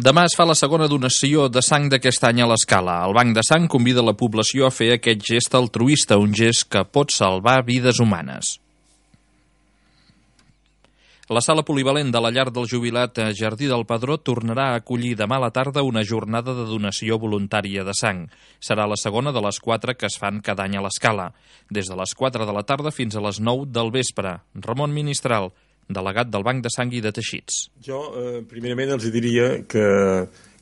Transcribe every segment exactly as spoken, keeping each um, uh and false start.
Demà es fa la segona donació de sang d'aquest any a l'Escala. El Banc de Sang convida la població a fer aquest gest altruista, un gest que pot salvar vides humanes. La sala polivalent de la llar del jubilat Jardí del Pedró tornarà a acollir demà a la tarda una jornada de donació voluntària de sang. Serà la segona de les quatre que es fan cada any a l'Escala, des de les quatre de la tarda fins a les nou del vespre. Ramon Ministral, delegat del Banc de Sang i de Teixits. Jo, eh, primerament, els diria que,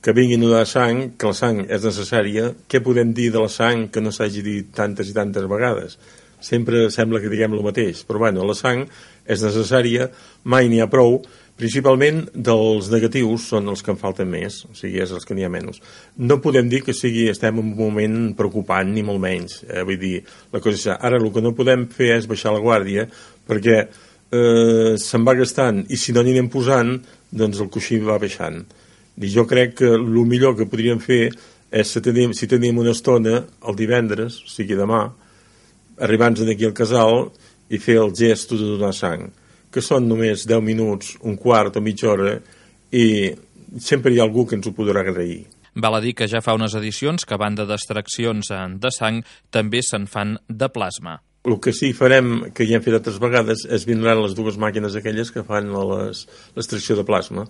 que vinguin a donar sang, que la sang és necessària. Què podem dir de la sang que no s'hagi dit tantes i tantes vegades? Sempre sembla que diguem el mateix, però bueno, la sang és necessària, mai n'hi ha prou, principalment dels negatius són els que en falten més, o sigui, és els que n'hi ha menys. No podem dir que sigui, estem en un moment preocupant, ni molt menys. Eh, vull dir, la cosa és, ara el que no podem fer és baixar la guàrdia, perquè eh, se'n va gastant, i si no n'hi anem posant, doncs el coixí va baixant. I jo crec que el millor que podríem fer és, si tenim, si tenim una estona el divendres, o sigui demà, arribar-nos aquí al casal i fer el gest de donar sang, que són només deu minuts, un quart o mitja hora, i sempre hi ha algú que ens ho podrà agrair. Val a dir que ja fa unes edicions que, a banda d'extraccions de sang, també se'n fan de plasma. El que sí farem, que ja hem fet altres vegades, és vindran les dues màquines aquelles que fan l'extracció de plasma,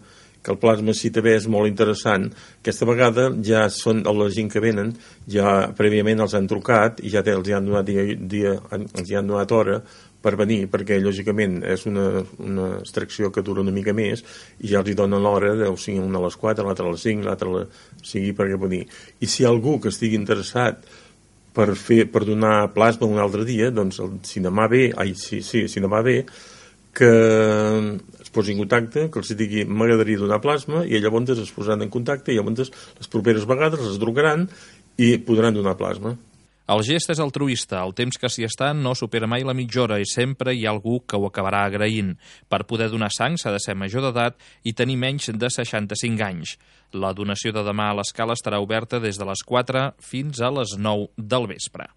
que el plasma sí també és molt interessant. Aquesta vegada ja són la gent que venen, ja prèviament els han trucat i ja els han donat, dia, dia, els han donat hora per venir, perquè lògicament és una, una extracció que dura una mica més i ja els hi donen l'hora, o sigui, una a les quatre, l'altra a les cinc, l'altra a les... O sigui, perquè venir. I si hi ha algú que estigui interessat per, fer, per donar plasma un altre dia, doncs el, si demà ve, ai, sí, sí, si demà ve, que es posi en contacte, que els digui m'agradaria donar plasma, i llavors es posaran en contacte i llavors les properes vegades les trucaran i podran donar plasma. El gest és altruista, el temps que s'hi està no supera mai la mitja hora i sempre hi ha algú que ho acabarà agraint. Per poder donar sang s'ha de ser major d'edat i tenir menys de seixanta-cinc anys. La donació de demà a l'Escala estarà oberta des de les quatre fins a les nou del vespre.